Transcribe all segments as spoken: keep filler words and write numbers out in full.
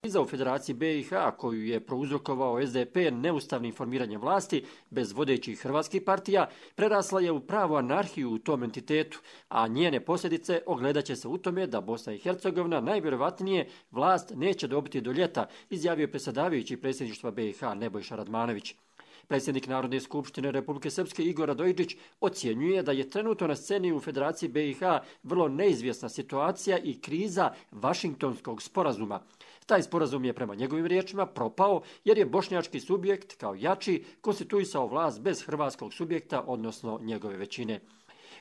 Kriza u Federaciji B i H koju je prouzrokovao S D P neustavnim formiranjem vlasti bez vodećih hrvatskih partija prerasla je u pravu anarhiju u tom entitetu, a njene posljedice ogledat će se u tome da Bosna i Hercegovina najvjerojatnije vlast neće dobiti do ljeta, izjavio je predsjedavajući predsjedništva B i H Nebojša Radmanović. Predsjednik Narodne skupštine Republike Srpske Igor Radojičić ocjenjuje da je trenutno na sceni u Federaciji B i H vrlo neizvjesna situacija i kriza Vašingtonskog sporazuma. Taj sporazum je prema njegovim riječima propao jer je bošnjački subjekt kao jači konstituisao vlast bez hrvatskog subjekta, odnosno njegove većine.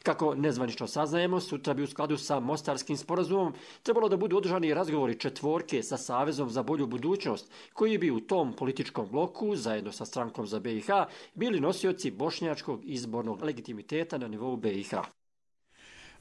Kako nezvanično saznajemo, sutra bi u skladu sa Mostarskim sporazumom trebalo da budu održani razgovori četvorke sa Savezom za bolju budućnost, koji bi u tom političkom bloku, zajedno sa strankom za B i H, bili nosioci bošnjačkog izbornog legitimiteta na nivou B i H.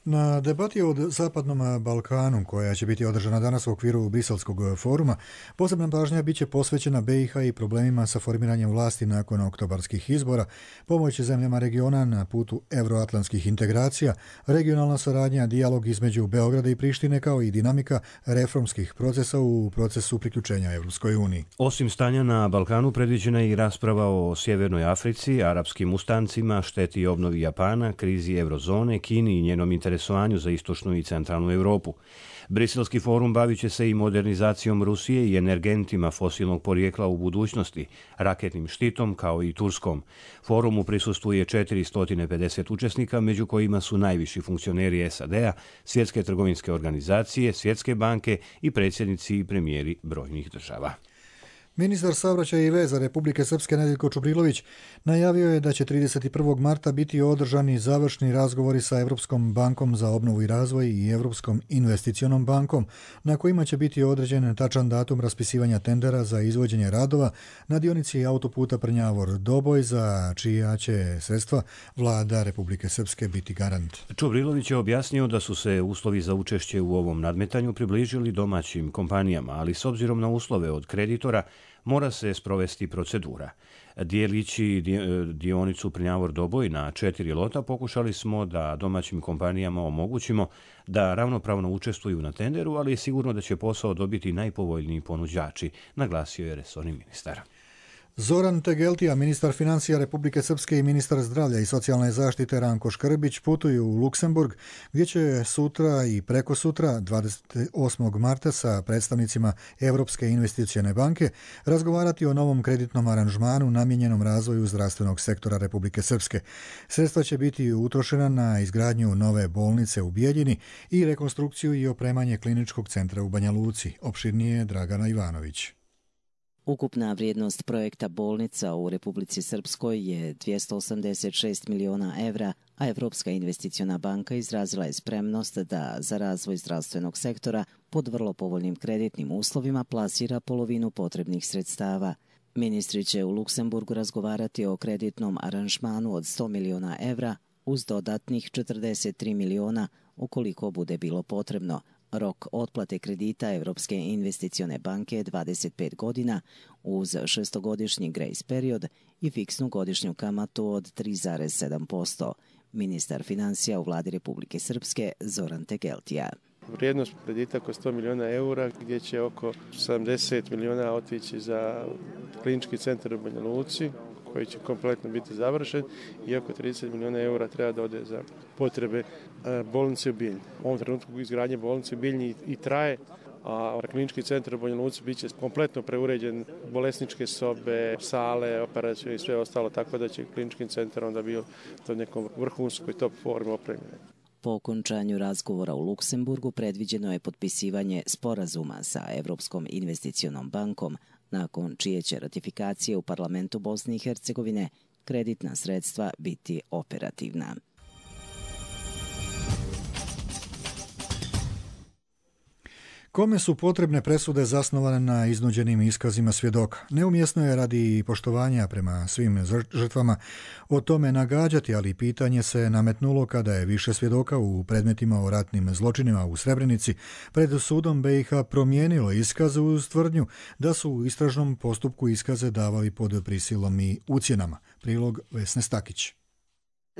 Na debati o Zapadnom Balkanu, koja će biti održana danas u okviru Briselskog foruma, posebna pažnja bit će posvećena B i H i problemima sa formiranjem vlasti nakon oktobarskih izbora, pomoć zemljama regiona na putu euroatlantskih integracija, regionalna saradnja, dijalog između Beograda i Prištine, kao i dinamika reformskih procesa u procesu priključenja Evropskoj uniji. Osim stanja na Balkanu, predviđena je i rasprava o Sjevernoj Africi, arapskim ustancima, šteti i obnovi Japana, krizi eurozone, Kini i njenom interesovanju za istočnu i centralnu Europu. Briselski forum bavit će se i modernizacijom Rusije i energentima fosilnog porijekla u budućnosti, raketnim štitom kao i Turskom. Forumu prisustvuje četiristo pedeset učesnika, među kojima su najviši funkcioneri S A D-a, Svjetske trgovinske organizacije, Svjetske banke i predsjednici i premijeri brojnih država. Ministar saobraćaja i veza Republike Srpske Nedeljko Čubrilović najavio je da će trideset prvog marta biti održani završni razgovori sa Evropskom bankom za obnovu i razvoj i Evropskom investicionom bankom, na kojima će biti određen tačan datum raspisivanja tendera za izvođenje radova na dionici autoputa Prnjavor-Doboj, za čija će sredstva vlada Republike Srpske biti garant. Čubrilović je objasnio da su se uslovi za učešće u ovom nadmetanju približili domaćim kompanijama, ali s obzirom na uslove od kreditora mora se sprovesti procedura. Dijelići dionicu Prnjavor-Doboj na četiri lota, pokušali smo da domaćim kompanijama omogućimo da ravnopravno učestvuju na tenderu, ali je sigurno da će posao dobiti najpovoljniji ponuđači, naglasio je resorni ministar. Zoran Tegeltija, ministar financija Republike Srpske, i ministar zdravlja i socijalne zaštite Ranko Škrbić putuju u Luksemburg, gdje će sutra i preko sutra, dvadeset osmog marta, sa predstavnicima Evropske investicione banke razgovarati o novom kreditnom aranžmanu namijenjenom razvoju zdravstvenog sektora Republike Srpske. Sredstva će biti utrošena na izgradnju nove bolnice u Bijeljini i rekonstrukciju i opremanje kliničkog centra u Banja Luci. Opširnije Dragana Ivanović. Ukupna vrijednost projekta bolnica u Republici Srpskoj je dvjesto osamdeset šest miliona evra, a Evropska investiciona banka izrazila je spremnost da za razvoj zdravstvenog sektora pod vrlo povoljnim kreditnim uslovima plasira polovinu potrebnih sredstava. Ministri će u Luksemburgu razgovarati o kreditnom aranžmanu od sto miliona evra uz dodatnih četrdeset tri miliona ukoliko bude bilo potrebno. Rok otplate kredita Evropske investicione banke je dvadeset pet godina uz šestogodišnji grace period i fiksnu godišnju kamatu od tri zarez sedam posto. Ministar financija u vladi Republike Srpske Zoran Tegeltija. Vrijednost kredita oko sto miliona eura, gdje će oko sedamdeset miliona otići za klinički centar u Banja Luci, koji će kompletno biti završen, i oko trideset miliona eura treba da ode za potrebe bolnice u Bijeljini. U ovom trenutku izgradnje bolnice u Bijeljini i traje, a klinički centar u Banja Luci bit će kompletno preuređen, bolesničke sobe, sale, operacije i sve ostalo, tako da će klinički centar onda bio u nekom vrhunskoj top formi opremljen. Po okončanju razgovora u Luksemburgu predviđeno je potpisivanje sporazuma sa Evropskom investicionom bankom, nakon čije će ratifikacije u parlamentu Bosne i Hercegovine kreditna sredstva biti operativna. Kome su potrebne presude zasnovane na iznuđenim iskazima svjedoka? Neumjesno je radi poštovanja prema svim žrtvama o tome nagađati, ali pitanje se nametnulo kada je više svjedoka u predmetima o ratnim zločinima u Srebrenici pred sudom B i H promijenilo iskaze uz tvrdnju da su u istražnom postupku iskaze davali pod prisilom i ucjenama. Prilog Vesne Stakić.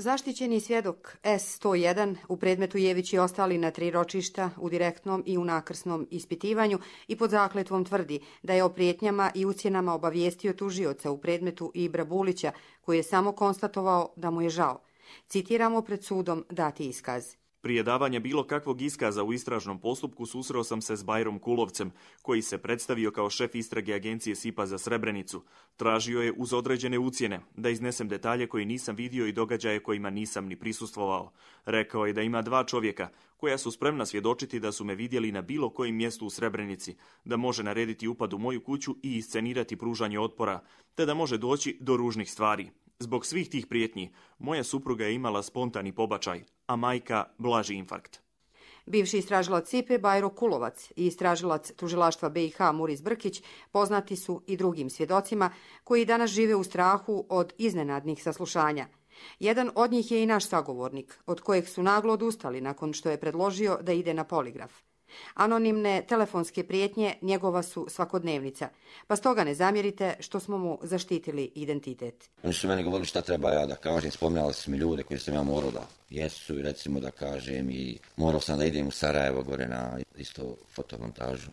Zaštićeni svjedok S sto jedan u predmetu Jević i ostali na tri ročišta u direktnom i u nakrsnom ispitivanju i pod zakletvom tvrdi da je o prijetnjama i ucjenama obavijestio tužioca u predmetu Ibra Bulića, koji je samo konstatovao da mu je žao. Citiramo pred sudom dati iskaz. Prije davanja bilo kakvog iskaza u istražnom postupku susreo sam se s Bajrom Kulovcem, koji se predstavio kao šef istrage agencije S I P A za Srebrenicu. Tražio je uz određene ucjene da iznesem detalje koje nisam vidio i događaje kojima nisam ni prisustvovao. Rekao je da ima dva čovjeka koja su spremna svjedočiti da su me vidjeli na bilo kojem mjestu u Srebrenici, da može narediti upad u moju kuću i iscenirati pružanje otpora, te da može doći do ružnih stvari. Zbog svih tih prijetnji, moja supruga je imala spontani pobačaj, a majka blaži infarkt. Bivši istražilac S I P A Bajro Kulovac i istražilac tužilaštva B i H Muris Brkić poznati su i drugim svjedocima koji danas žive u strahu od iznenadnih saslušanja. Jedan od njih je i naš sagovornik, od kojeg su naglo odustali nakon što je predložio da ide na poligraf. Anonimne telefonske prijetnje njegova su svakodnevnica, pa stoga ne zamjerite što smo mu zaštitili identitet. Oni su meni govorili šta treba ja da kažem, spominjali su mi ljude koji sam ja morao da jesu i recimo da kažem i morao sam da idem u Sarajevo gore na isto fotomontažu.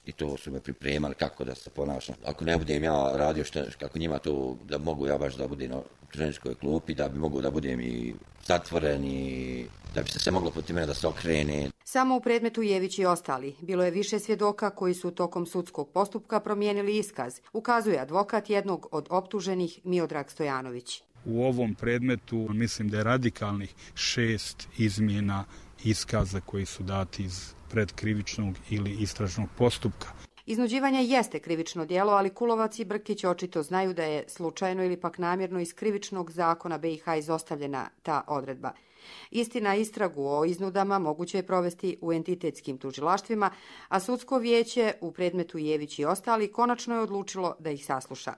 I to su me pripremali kako da se ponašam. Ako ne budem ja radio što, kako njima to, da mogu ja baš da budem na trenerskoj klupi, da bi mogu da budem i zatvoren i da bi se sve moglo protiv mene da se okrene. Samo u predmetu Jević i ostali bilo je više svjedoka koji su tokom sudskog postupka promijenili iskaz, ukazuje advokat jednog od optuženih Miodrag Stojanović. U ovom predmetu mislim da je radikalnih šest izmjena iskaza koji su dati iz predkrivičnog ili istražnog postupka. Iznuđivanje jeste krivično djelo, ali Kulovac i Brkić očito znaju da je slučajno ili pak namjerno iz krivičnog zakona B i H izostavljena ta odredba. Istina, istragu o iznudama moguće je provesti u entitetskim tužilaštvima, a sudsko vijeće u predmetu Jević i ostali konačno je odlučilo da ih sasluša.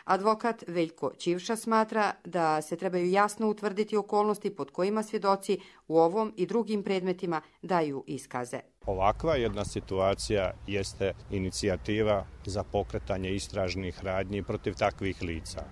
Advokat Veljko Ćivša smatra da se trebaju jasno utvrditi okolnosti pod kojima svjedoci u ovom i drugim predmetima daju iskaze. Ovakva jedna situacija jeste inicijativa za pokretanje istražnih radnji protiv takvih lica.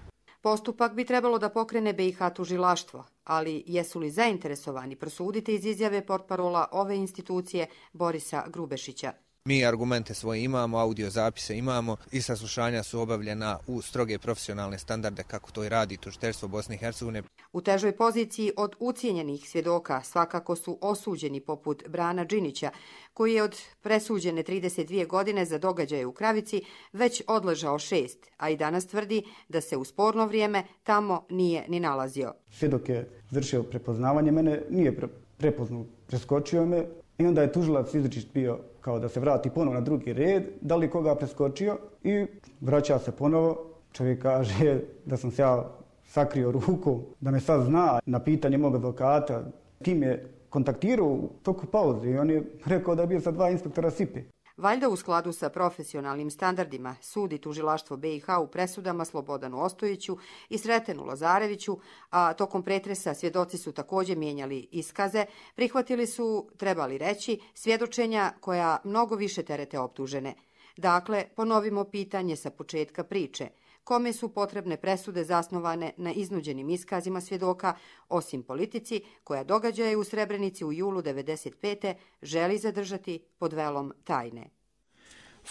Postupak bi trebalo da pokrene B i H tužilaštvo, ali jesu li zainteresovani prosuditi iz izjave portparola ove institucije Borisa Grubešića. Mi argumente svoje imamo, audio zapise imamo i saslušanja su obavljena u stroge profesionalne standarde kako to i radi tužiteljstvo Bosne i Hercegovine. U težoj poziciji od ucijenjenih svjedoka svakako su osuđeni poput Brana Đinića, koji je od presuđene trideset dvije godine za događaje u Kravici već odležao šest, a i danas tvrdi da se u sporno vrijeme tamo nije ni nalazio. Svjedok je vršio prepoznavanje, mene nije prepoznao, preskočio me i onda je tužilac izričit bio kao da se vrati ponovo na drugi red, da li koga preskočio i vraća se ponovo. Čovjek kaže da sam se ja sakrio rukom, da me sad zna. Na pitanje mog advokata kim je kontaktirao u toku pauze i on je rekao da je bio sa dva inspektora S I P A. Valjda u skladu sa profesionalnim standardima sudi tužilaštvo B i H u presudama Slobodanu Ostojiću i Sretenu Lazareviću, a tokom pretresa svjedoci su također mijenjali iskaze, prihvatili su, trebali reći, svjedočenja koja mnogo više terete optužene. Dakle, ponovimo pitanje sa početka priče. Kome su potrebne presude zasnovane na iznuđenim iskazima svjedoka, osim politici koja događaje u Srebrenici u julu devedeset pete želi zadržati pod velom tajne.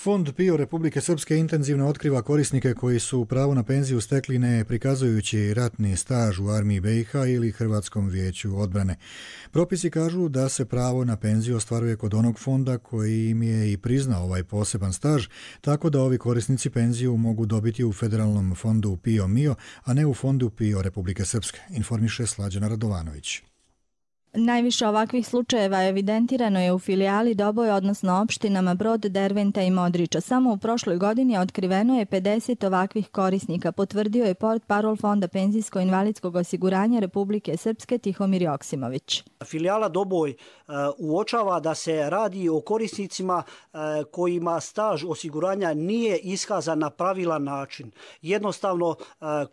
Fond P I O Republike Srpske intenzivno otkriva korisnike koji su pravo na penziju stekli ne prikazujući ratni staž u armiji B i H ili Hrvatskom vijeću odbrane. Propisi kažu da se pravo na penziju ostvaruje kod onog fonda koji im je i priznao ovaj poseban staž, tako da ovi korisnici penziju mogu dobiti u federalnom fondu P I O M I O, a ne u fondu P I O Republike Srpske, informiše Slađana Radovanović. Najviše ovakvih slučajeva evidentirano je u filijali Doboj, odnosno opštinama Brod, Derventa i Modriča. Samo u prošloj godini otkriveno je pedeset ovakvih korisnika, potvrdio je portparol Fonda penzijsko-invalidskog osiguranja Republike Srpske Tihomir Joksimović. Filijala Doboj uh, uočava da se radi o korisnicima uh, kojima staž osiguranja nije iskazan na pravilan način. Jednostavno, uh,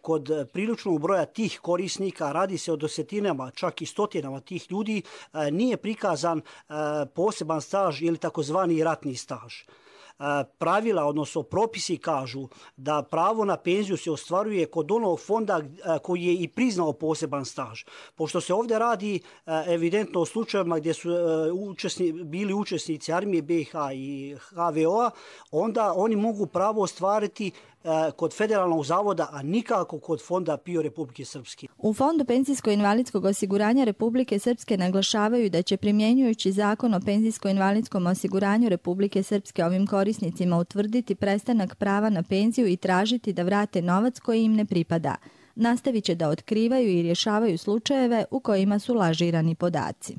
kod priličnog broja tih korisnika radi se o desetinama, čak i stotinama tih ljudi, nije prikazan poseban staž ili takozvani ratni staž. pravila, odnosno propisi kažu da pravo na penziju se ostvaruje kod onog fonda koji je i priznao poseban staž. Pošto se ovdje radi evidentno o slučajevima gdje su učesni, bili učesnici Armije B i H i H V O-a, onda oni mogu pravo ostvariti kod Federalnog zavoda, a nikako kod Fonda P I O Republike Srpske. U Fondu penzijsko-invalidskog osiguranja Republike Srpske naglašavaju da će primjenjujući zakon o penzijsko-invalidskom osiguranju Republike Srpske ovim korisnicima utvrditi prestanak prava na penziju i tražiti da vrate novac koji im ne pripada. Nastavit će da otkrivaju i rješavaju slučajeve u kojima su lažirani podaci.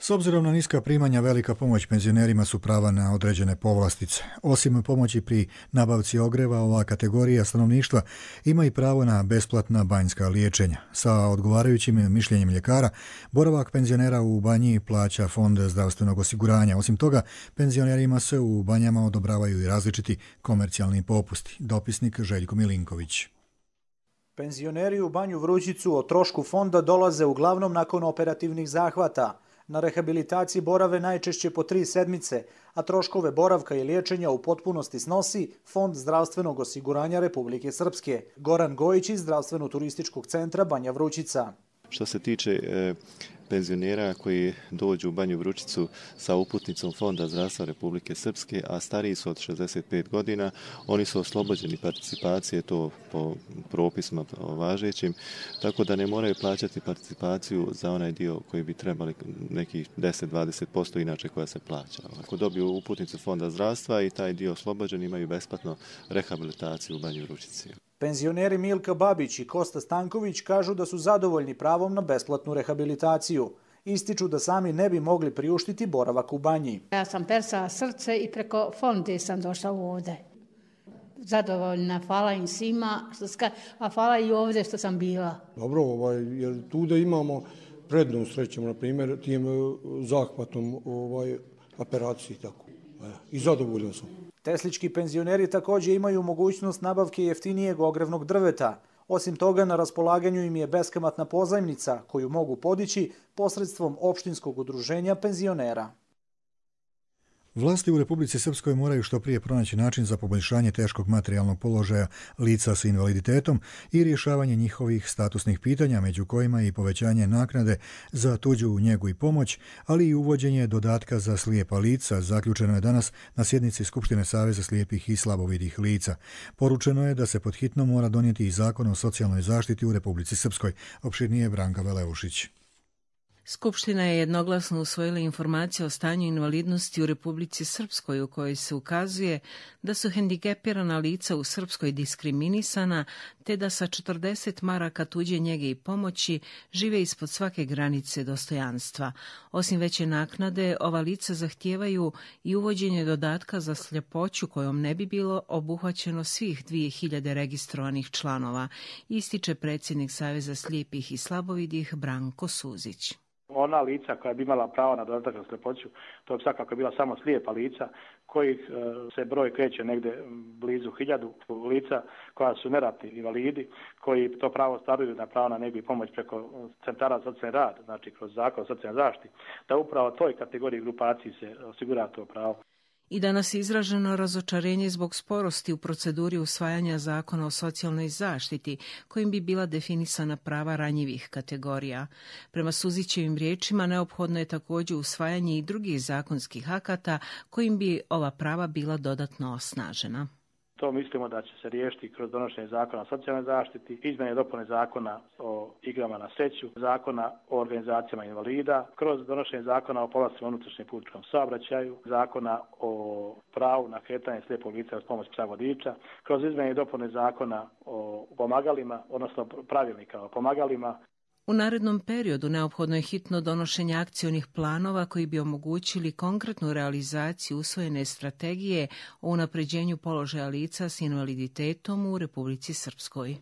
S obzirom na niska primanja, velika pomoć penzionerima su prava na određene povlastice. Osim pomoći pri nabavci ogreva, ova kategorija stanovništva ima i pravo na besplatna banjska liječenja. Sa odgovarajućim mišljenjem ljekara, boravak penzionera u banji plaća Fond zdravstvenog osiguranja. Osim toga, penzionerima se u banjama odobravaju i različiti komercijalni popusti. Dopisnik Željko Milinković. Penzioneri u Banju Vrućicu o trošku fonda dolaze uglavnom nakon operativnih zahvata. Na rehabilitaciji borave najčešće po tri sedmice, a troškove boravka i liječenja u potpunosti snosi Fond zdravstvenog osiguranja Republike Srpske. Goran Gojić iz Zdravstveno-turističkog centra Banja Vrućica. Što se tiče e, penzionera koji dođu u Banju Vrućicu sa uputnicom Fonda zdravstva Republike Srpske, a stariji su od šezdeset pet godina, oni su oslobođeni participacije, to po propisima važećim, tako da ne moraju plaćati participaciju za onaj dio koji bi trebali nekih deset do dvadeset posto inače koja se plaća. Ako dobiju uputnicu Fonda zdravstva i taj dio oslobođen, imaju besplatno rehabilitaciju u Banju Vrućici. Penzioneri Milka Babić i Kosta Stanković kažu da su zadovoljni pravom na besplatnu rehabilitaciju. Ističu da sami ne bi mogli priuštiti boravak u banji. Ja sam persala srce i preko fonde sam došla ovdje. Zadovoljna, hvala im svima, a hvala i ovdje što sam bila. Dobro, ovaj, jer tu da imamo prednost, rećemo, na primjer, tim zahvatom ovaj, operaciji tako. I zadovoljan sam. Teslički penzioneri također imaju mogućnost nabavke jeftinijeg ogrevnog drveta. Osim toga, na raspolaganju im je beskamatna pozajmnica koju mogu podići posredstvom opštinskog udruženja penzionera. Vlasti u Republici Srpskoj moraju što prije pronaći način za poboljšanje teškog materijalnog položaja lica s invaliditetom i rješavanje njihovih statusnih pitanja, među kojima i povećanje naknade za tuđu njegu i pomoć, ali i uvođenje dodatka za slijepa lica, zaključeno je danas na sjednici Skupštine Saveza slijepih i slabovidih lica. Poručeno je da se pod hitno mora donijeti i zakon o socijalnoj zaštiti u Republici Srpskoj. Opširnije Branka Veleušić. Skupština je jednoglasno usvojila informacije o stanju invalidnosti u Republici Srpskoj u kojoj se ukazuje da su hendikepirana lica u Srpskoj diskriminisana te da sa četrdeset maraka tuđe njege i pomoći žive ispod svake granice dostojanstva. Osim veće naknade, ova lica zahtijevaju i uvođenje dodatka za sljepoću kojom ne bi bilo obuhvaćeno svih dvije hiljade registrovanih članova, ističe predsjednik Saveza slijepih i slabovidih Branko Suzić. Ona lica koja bi imala pravo na dodatak za sljepoću, to bi svakako bila samo slijepa lica, kojih se broj kreće negdje blizu hiljadu lica koja su neratni invalidi, koji to pravo ostvaruju na pravo na njegu i pomoć preko centara za socijalni rad, znači kroz zakon o socijalnoj zaštiti, da upravo toj kategoriji grupaciji se osigura to pravo. I danas je izraženo razočarenje zbog sporosti u proceduri usvajanja zakona o socijalnoj zaštiti, kojim bi bila definisana prava ranjivih kategorija. Prema Suzićevim riječima, neophodno je također usvajanje i drugih zakonskih akata kojim bi ova prava bila dodatno osnažena. To mislimo da će se riješiti kroz donošenje zakona o socijalnoj zaštiti, izmjene i dopune zakona o igrama na sreću, zakona o organizacijama invalida, kroz donošenje zakona o povlastima u unutrašnjem putničkom saobraćaju, zakona o pravu na kretanje slijepog lica uz pomoć psa vodiča, kroz izmjene i dopune zakona o pomagalima, odnosno pravilnika o pomagalima. U narednom periodu neophodno je hitno donošenje akcionih planova koji bi omogućili konkretnu realizaciju usvojene strategije o unapređenju položaja lica s invaliditetom u Republici Srpskoj.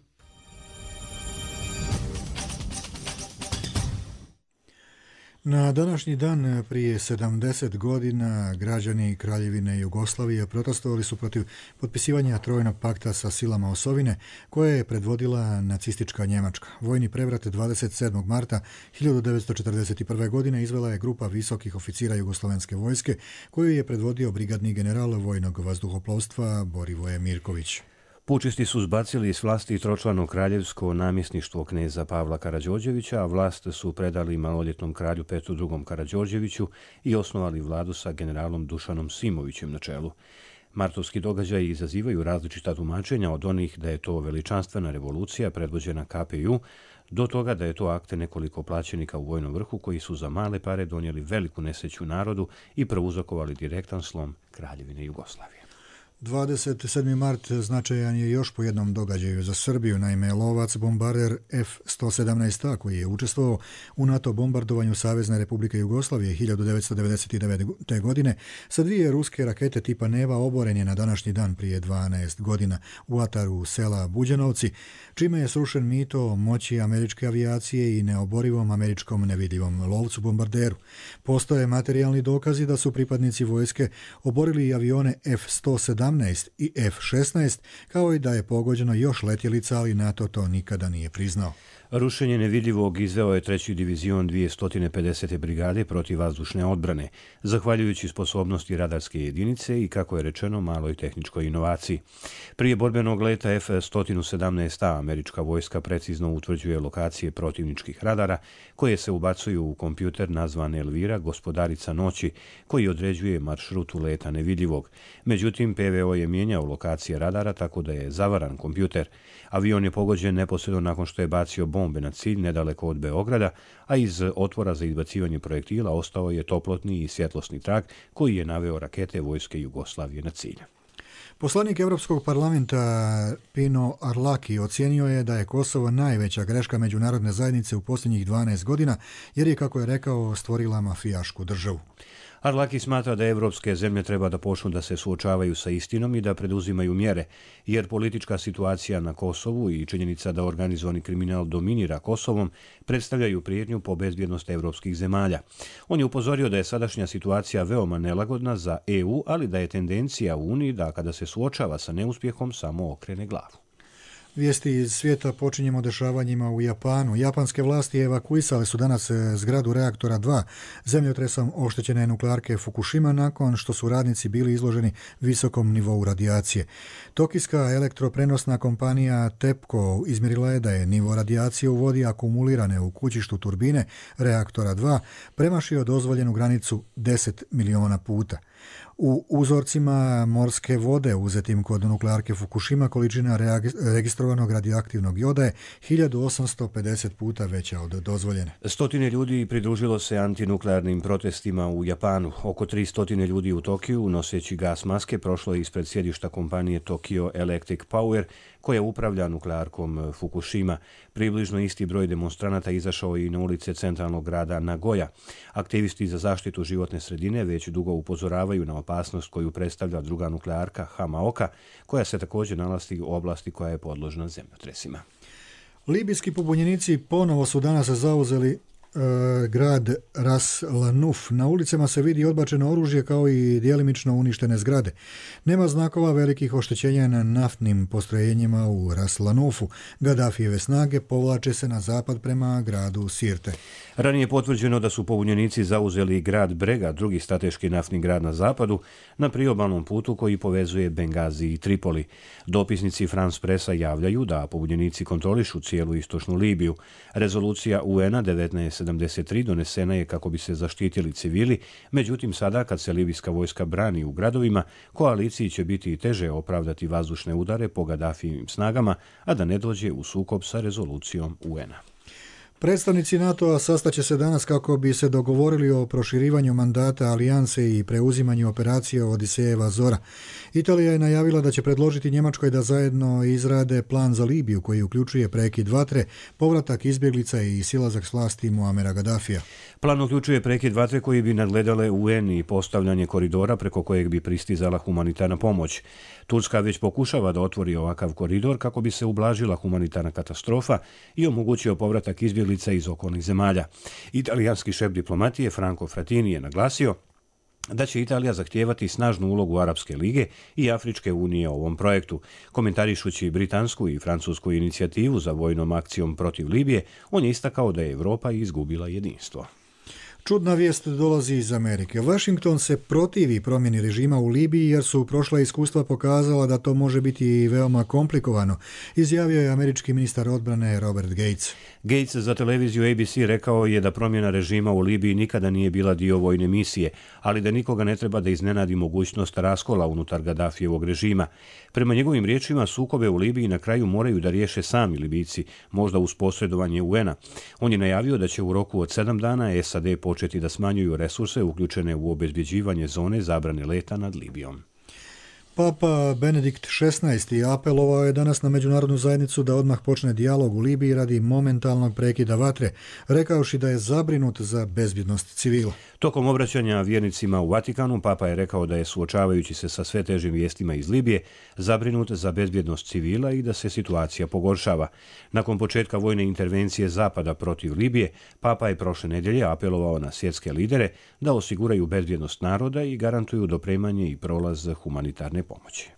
Na današnji dan prije sedamdeset godina građani Kraljevine Jugoslavije protestovali su protiv potpisivanja Trojnog pakta sa silama osovine koje je predvodila nacistička Njemačka. Vojni prevrat dvadeset sedmog marta hiljadu devetsto četrdeset prve. godine izvela je grupa visokih oficira Jugoslovenske vojske koju je predvodio brigadni general vojnog vazduhoplovstva Borivoje Mirković. Pučisti su zbacili s vlasti tročlano kraljevsko namjesništvo kneza Pavla Karađorđevića, a vlast su predali maloljetnom kralju Petru drugom Karađorđeviću i osnovali vladu sa generalom Dušanom Simovićem na čelu. Martovski događaji izazivaju različita tumačenja od onih da je to veličanstvena revolucija predvođena K P J U, do toga da je to akte nekoliko plaćenika u vojnom vrhu koji su za male pare donijeli veliku nesreću narodu i prouzrokovali direktan slom Kraljevine Jugoslavije. dvadeset sedmi mart značajan je još po jednom događaju za Srbiju, naime lovac bombarder F sto sedamnaest A koji je učestvovao u NATO bombardovanju Savezne Republike Jugoslavije hiljadu devetsto devedeset devete. godine sa dvije ruske rakete tipa Neva oboren je na današnji dan prije dvanaest godina u ataru sela Buđanovci, čime je srušen mito o moći američke avijacije i neoborivom američkom nevidljivom lovcu bombarderu. Postoje materijalni dokazi da su pripadnici vojske oborili i avione F sto sedamnaest i F šesnaest, kao i da je pogođeno još letjelica, ali NATO to nikada nije priznao. Rušenje nevidljivog izveo je treći divizion dvjesto pedesete brigade protiv vazdušne odbrane, zahvaljujući sposobnosti radarske jedinice i, kako je rečeno, maloj tehničkoj inovaciji. Prije borbenog leta F sto sedamnaest A američka vojska precizno utvrđuje lokacije protivničkih radara, koje se ubacuju u kompjuter nazvan Elvira, gospodarica noći, koji određuje maršrutu leta nevidljivog. Međutim, P V O je mijenjao lokacije radara tako da je zavaran kompjuter. Avion je pogođen neposredno nakon što je bacio bombe na cilj nedaleko od Beograda, a iz otvora za izbacivanje projektila ostao je toplotni i svjetlosni trag koji je naveo rakete vojske Jugoslavije na cilj. Poslanik Europskog parlamenta Pino Arlaki ocijenio je da je Kosovo najveća greška međunarodne zajednice u posljednjih dvanaest godina, jer je, kako je rekao, stvorila mafijašku državu. Arlaki smatra da evropske zemlje treba da počnu da se suočavaju sa istinom i da preduzimaju mjere, jer politička situacija na Kosovu i činjenica da organizovani kriminal dominira Kosovom predstavljaju prijetnju po bezbjednost evropskih zemalja. On je upozorio da je sadašnja situacija veoma nelagodna za E U, ali da je tendencija u Uniji da kada se suočava sa neuspjehom samo okrene glavu. Vijesti iz svijeta počinjemo dešavanjima u Japanu. Japanske vlasti evakuisale su danas zgradu reaktora dva zemljotresom oštećene nuklearke Fukushima nakon što su radnici bili izloženi visokom nivou radijacije. Tokijska elektroprenosna kompanija TEPCO izmjerila je da je nivo radijacije u vodi akumulirane u kućištu turbine reaktora dva premašio dozvoljenu granicu deset miliona puta. U uzorcima morske vode uzetim kod nuklearke Fukushima količina registrovanog radioaktivnog joda je hiljadu osamsto pedeset puta veća od dozvoljene. Stotine ljudi pridružilo se antinuklearnim protestima u Japanu. Oko tri stotine ljudi u Tokiju, noseći gas maske, prošlo je ispred sjedišta kompanije Tokyo Electric Power, koja upravlja nuklearkom Fukushima. Približno isti broj demonstranata izašao i na ulice centralnog grada Nagoya. Aktivisti za zaštitu životne sredine već dugo upozoravaju na opasnost koju predstavlja druga nuklearka Hamaoka, koja se također nalazi u oblasti koja je podložna zemljotresima. Libijski pobunjenici ponovo su danas zauzeli grad Ras Lanuf. Na ulicama se vidi odbačeno oružje kao i djelimično uništene zgrade. Nema znakova velikih oštećenja na naftnim postrojenjima u Ras Lanufu. Gadafijeve snage povlače se na zapad prema gradu Sirte. Ranije je potvrđeno da su pobunjenici zauzeli grad Brega, drugi strateški naftni grad na zapadu, na priobalnom putu koji povezuje Bengazi i Tripoli. Dopisnici France Pressa javljaju da pobunjenici kontrolišu cijelu istočnu Libiju. Rezolucija U N-a devetnaest sedamdeset tri donesena je kako bi se zaštitili civili, međutim sada kad se libijska vojska brani u gradovima, koaliciji će biti teže opravdati vazdušne udare po Gadafijevim snagama, a da ne dođe u sukob sa rezolucijom U N-a. Predstavnici NATO-a sastaće se danas kako bi se dogovorili o proširivanju mandata alijanse i preuzimanju operacije Odisejeva Zora. Italija je najavila da će predložiti Njemačkoj da zajedno izrade plan za Libiju koji uključuje prekid vatre, povratak izbjeglica i silazak s vlasti Muamera Gadafija. Plan uključuje prekid vatre koji bi nadgledale U N i postavljanje koridora preko kojeg bi pristizala humanitarna pomoć. Turska već pokušava da otvori ovakav koridor kako bi se ublažila humanitarna katastrofa i omogućio povratak izbjeglica iz okolnih zemalja. Italijanski šef diplomatije Franco Frattini je naglasio da će Italija zahtijevati snažnu ulogu Arapske lige i Afričke unije u ovom projektu. Komentarišući britansku i francusku inicijativu za vojnom akcijom protiv Libije, on je istakao da je Europa izgubila jedinstvo. Čudna vijest dolazi iz Amerike. Washington se protivi promjeni režima u Libiji jer su prošla iskustva pokazala da to može biti veoma komplikovano, izjavio je američki ministar odbrane Robert Gates. Gates za televiziju A B C rekao je da promjena režima u Libiji nikada nije bila dio vojne misije, ali da nikoga ne treba da iznenadi mogućnost raskola unutar Gaddafijevog režima. Prema njegovim riječima, sukobe u Libiji na kraju moraju da riješe sami Libijci, možda uz posredovanje U N-a. On je najavio da će u roku od sedam dana S A D početi da smanjuju resurse uključene u obezbjeđivanje zone zabrane leta nad Libijom. Papa Benedikt šesnaesti apelovao je danas na međunarodnu zajednicu da odmah počne dijalog u Libiji radi momentalnog prekida vatre, rekavši da je zabrinut za bezbjednost civila. Tokom obraćanja vjernicima u Vatikanu, Papa je rekao da je, suočavajući se sa sve težim vijestima iz Libije, zabrinut za bezbjednost civila i da se situacija pogoršava. Nakon početka vojne intervencije Zapada protiv Libije, Papa je prošle nedjelje apelovao na svjetske lidere da osiguraju bezbjednost naroda i garantuju dopremanje i prolaz humanitarne pomoći.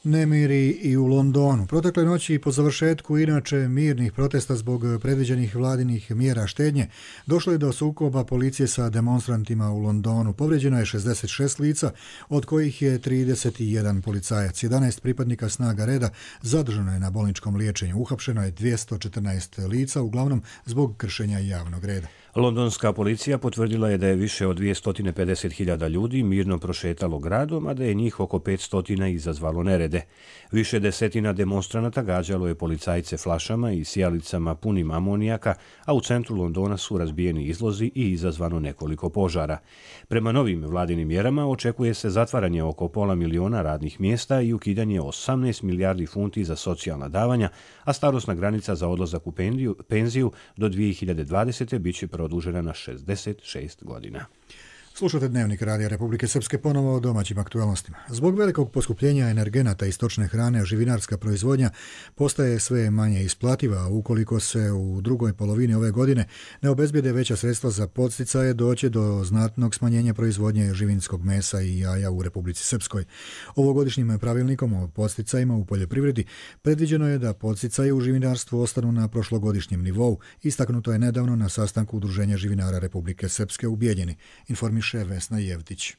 Nemiri i u Londonu. Protekle noći po završetku inače mirnih protesta zbog predviđenih vladinih mjera štednje došlo je do sukoba policije sa demonstrantima u Londonu. Povrijeđeno je šezdeset šest lica, od kojih je trideset jedan policajac. jedanaest pripadnika snaga reda zadržano je na bolničkom liječenju. Uhapšeno je dvjesto četrnaest lica, uglavnom zbog kršenja javnog reda. Londonska policija potvrdila je da je više od dvjesto pedeset hiljada ljudi mirno prošetalo gradom, a da je njih oko petsto izazvalo nerede. Više desetina demonstranata gađalo je policajce flašama i sijalicama punim amonijaka, a u centru Londona su razbijeni izlozi i izazvano nekoliko požara. Prema novim vladinim mjerama očekuje se zatvaranje oko pola miliona radnih mjesta i ukidanje osamnaest milijardi funti za socijalna davanja, a starosna granica za odlazak u penziju do dvije hiljade dvadesete bit će produžena na šezdeset šest godina. Slušate Dnevnik Radija Republike Srpske, ponovo o domaćim aktualnostima. Zbog velikog poskupljenja energenata i stočne hrane, živinarska proizvodnja postaje sve manje isplativa, a ukoliko se u drugoj polovini ove godine ne obezbijede veća sredstva za podsticaje, doće do znatnog smanjenja proizvodnje živinskog mesa i jaja u Republici Srpskoj. Ovogodišnjim pravilnikom o podsticajima u poljoprivredi predviđeno je da podsticaje u živinarstvu ostanu na prošlogodišnjem nivou. Istaknuto je nedavno na sastanku Udruženja živinara Republike Srpske u Bijeljini. Informiše Vesna Jevtić.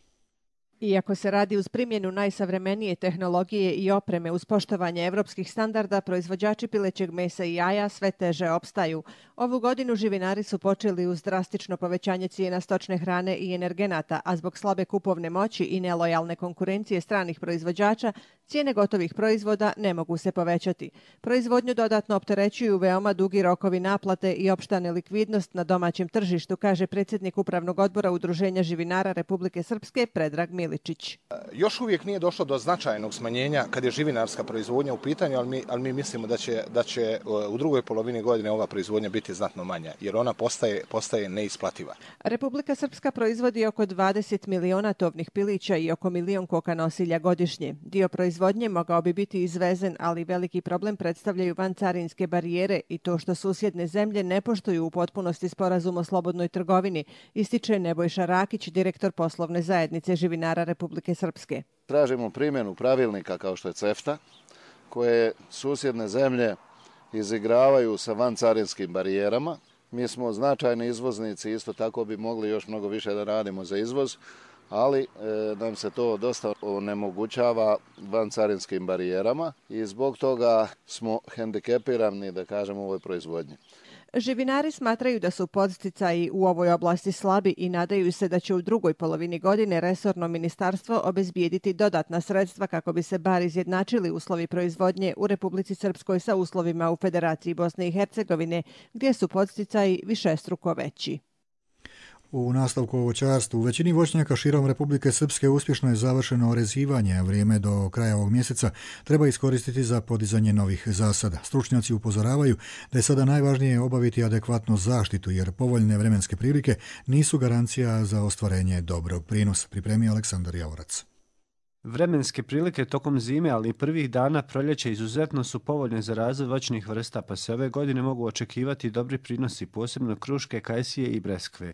Iako se radi uz primjenu najsavremenije tehnologije i opreme uz poštovanje evropskih standarda, proizvođači pilećeg mesa i jaja sve teže opstaju. Ovu godinu živinari su počeli uz drastično povećanje cijena stočne hrane i energenata, a zbog slabe kupovne moći i nelojalne konkurencije stranih proizvođača, cijene gotovih proizvoda ne mogu se povećati. Proizvodnju dodatno opterećuju veoma dugi rokovi naplate i opšta nelikvidnost na domaćem tržištu, kaže predsjednik Upravnog odbora Udruženja živinara Republike Srpske Predrag Miličić. Još uvijek nije došlo do značajnog smanjenja kad je živinarska proizvodnja u pitanju, ali mi, ali mi mislimo da će, da će u drugoj polovini godine ova proizvodnja biti znatno manja, jer ona postaje, postaje neisplativa. Republika Srpska proizvodi oko dvadeset miliona tovnih pilića i oko milion koka nosilja godišnje. Dio proizvodnje mogao bi biti izvezen, ali veliki problem predstavljaju vancarinske barijere i to što susjedne zemlje ne poštuju u potpunosti sporazum o slobodnoj trgovini, ističe Nebojša Rakić, direktor poslovne zajednice živinara Republike Srpske. Tražimo primjenu pravilnika kao što je CEFTA, koje susjedne zemlje izigravaju sa vancarinskim barijerama. Mi smo značajni izvoznici, isto tako bi mogli još mnogo više da radimo za izvoz, ali e, nam se to dosta onemogućava vancarinskim barijerama i zbog toga smo hendikepirani, da kažemo, u ovoj proizvodnji. Živinari smatraju da su podsticaji u ovoj oblasti slabi i nadaju se da će u drugoj polovini godine resorno ministarstvo obezbijediti dodatna sredstva kako bi se bar izjednačili uslovi proizvodnje u Republici Srpskoj sa uslovima u Federaciji Bosne i Hercegovine, gdje su podsticaji višestruko veći. U nastavku o voćarstvu, u većini voćnjaka širom Republike Srpske uspješno je završeno orezivanje, a vrijeme do kraja ovog mjeseca treba iskoristiti za podizanje novih zasada. Stručnjaci upozoravaju da je sada najvažnije obaviti adekvatnu zaštitu, jer povoljne vremenske prilike nisu garancija za ostvarenje dobrog prinosa, pripremio Aleksandar Javorac. Vremenske prilike tokom zime, ali i prvih dana proljeća izuzetno su povoljne za razvoj voćnih vrsta, pa se ove godine mogu očekivati dobri prinosi, posebno kruške, kajsije i breskve.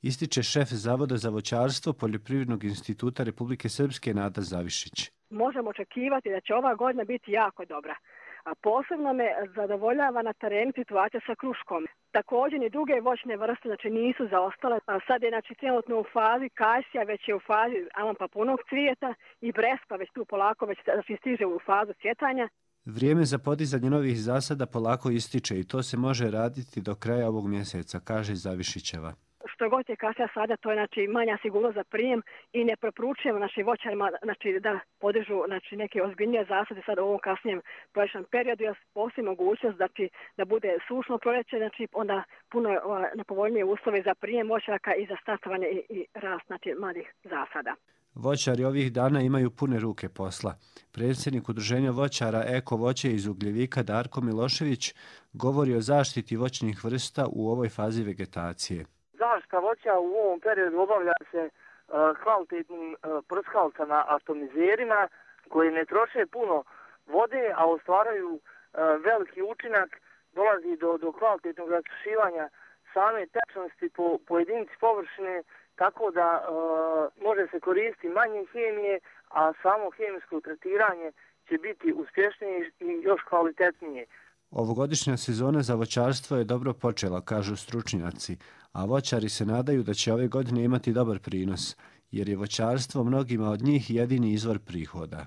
Ističe šef Zavoda za voćarstvo Poljoprivrednog instituta Republike Srpske Nada Zavišić. Možemo očekivati da će ova godina biti jako dobra. A posebno me zadovoljava na terenu situacija sa kruškom. Također i druge voćne vrste znači, nisu zaostale. A sad je znači, trenutno u fazi kajsija, već je u fazi aman pa punog cvijeta i breskva već tu polako već znači, stiže u fazu cvjetanja. Vrijeme za podizanje novih zasada polako ističe i to se može raditi do kraja ovog mjeseca, kaže Zavišićeva. Što god je kasnija sada, to je znači, manja sigurnost za prijem i ne preporučujemo našim voćarima znači, da podižu znači, neke ozbiljnije zasade sad u ovom kasnijem proljećnom periodu, jer postoji mogućnost znači, da bude sušno proljeće, znači, onda puno nepovoljnije uslove za prijem voćaraka i za startovanje i, i rast znači, mladih zasada. Voćari ovih dana imaju pune ruke posla. Predsjednik udruženja voćara Eko voće iz Ugljevika Darko Milošević govori o zaštiti voćnih vrsta u ovoj fazi vegetacije. Zaštita voća u ovom periodu obavlja se uh, kvalitetnim uh, prskalcama atomizerima koji ne troše puno vode, a ostvaraju uh, veliki učinak, dolazi do, do kvalitetnog rasušivanja same tečnosti po, po jedinici površine, tako da uh, može se koristiti manje hemije, a samo hemijsko tretiranje će biti uspješnije i još kvalitetnije. Ovogodišnja sezona za voćarstvo je dobro počela, kažu stručnjaci, a voćari se nadaju da će ove godine imati dobar prinos, jer je voćarstvo mnogima od njih jedini izvor prihoda.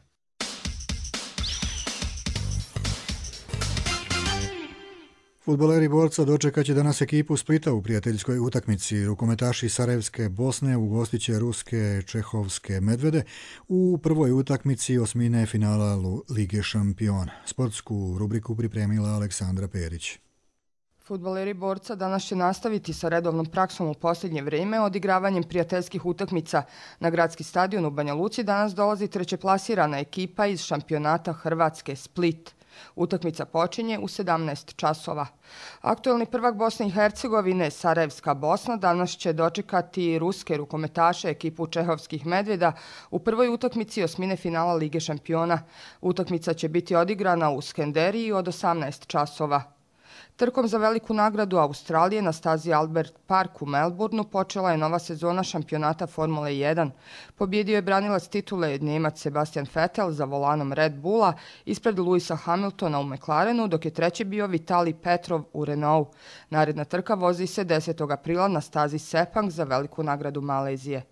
Fudbaleri Borca dočekat će danas ekipu Splita u prijateljskoj utakmici. Rukometaši Sarajevske Bosne ugostiće ruske Čehovske Medvede u prvoj utakmici osmine finala Lige šampiona. Sportsku rubriku pripremila Aleksandra Perić. Fudbaleri Borca danas će nastaviti sa redovnom praksom u posljednje vrijeme. Odigravanjem prijateljskih utakmica na gradski stadion u Banja Luci danas dolazi trećeplasirana ekipa iz šampionata Hrvatske Split. Utakmica počinje u sedamnaest časova. Aktuelni prvak Bosne i Hercegovine, Sarajevska Bosna, danas će dočekati ruske rukometaše ekipu Čehovskih Medveda u prvoj utakmici osmine finala Lige šampiona. Utakmica će biti odigrana u Skenderiji od osamnaest časova. Trkom za veliku nagradu Australije na stazi Albert Park u Melbourneu počela je nova sezona šampionata Formule jedan. Pobjedio je branilac titule Njemac Sebastian Vettel za volanom Red Bulla ispred Lewisa Hamiltona u McLarenu, dok je treći bio Vitali Petrov u Renault. Naredna trka vozi se desetog aprila na stazi Sepang za veliku nagradu Malezije.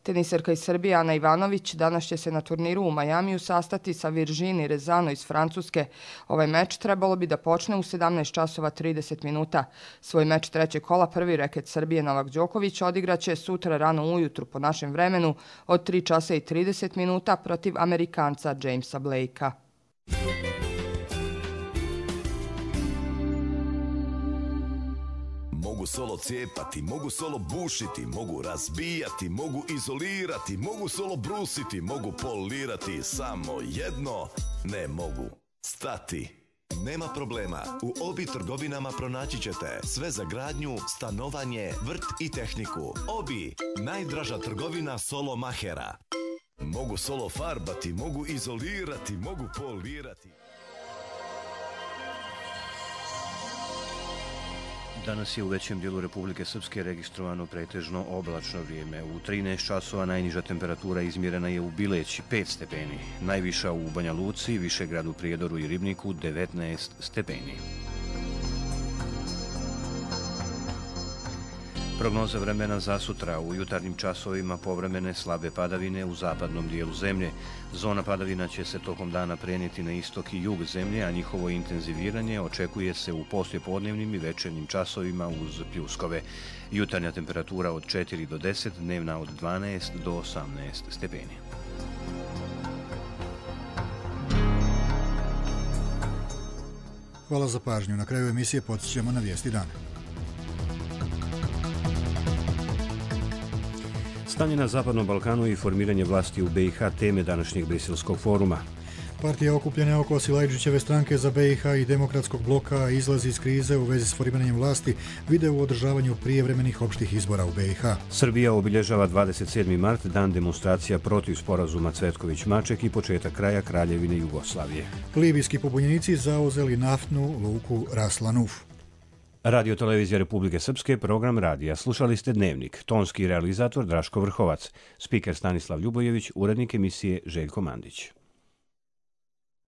Teniserka iz Srbije Ana Ivanović danas će se na turniru u Majamiju sastati sa Virginie Rezano iz Francuske. Ovaj meč trebalo bi da počne u sedamnaest časova trideset minuta. Svoj meč trećeg kola prvi reket Srbije Novak Đoković odigraće sutra rano ujutru po našem vremenu od tri časa i trideset minuta protiv Amerikanca Jamesa Blakea. Mogu solo cijepati, mogu solo bušiti, mogu razbijati, mogu izolirati, mogu solo brusiti, mogu polirati, samo jedno ne mogu stati. Nema problema, u Obi trgovinama pronaći ćete sve za gradnju, stanovanje, vrt i tehniku. Obi, najdraža trgovina solo mahera. Mogu solo farbati, mogu izolirati, mogu polirati. Danas je u većem dijelu Republike Srpske registrovano pretežno oblačno vrijeme. U trinaest časova najniža temperatura izmjerena je u Bileći pet stepeni, najviša u Banja Luci, Višegradu, Prijedoru i Ribniku devetnaest stepeni. Prognoza vremena za sutra. U jutarnjim časovima povremene slabe padavine u zapadnom dijelu zemlje. Zona padavina će se tokom dana prenijeti na istok i jug zemlje, a njihovo intenziviranje očekuje se u poslijepodnevnim i večernjim časovima uz pljuskove. Jutarnja temperatura od četiri do deset, dnevna od dvanaest do osamnaest stepeni. Hvala za pažnju. Na kraju emisije podsjećamo na vijesti dana. Stanje na Zapadnom Balkanu i formiranje vlasti u B i H teme današnjeg Briselskog foruma. Partija okupljene oko Silajđićeve stranke za B i H i Demokratskog bloka izlazi iz krize u vezi s formiranjem vlasti, vide u održavanju prijevremenih opštih izbora u B i H. Srbija obilježava dvadeset sedmi mart, dan demonstracija protiv sporazuma Cvetković-Maček i početak kraja Kraljevine Jugoslavije. Libijski pobunjenici zauzeli naftnu luku Ras Lanuf. Radio Televizija Republike Srpske, program radija. Slušali ste Dnevnik. Tonski realizator Draško Vrhovac. Spiker Stanislav Ljubojević, urednik emisije Željko Mandić.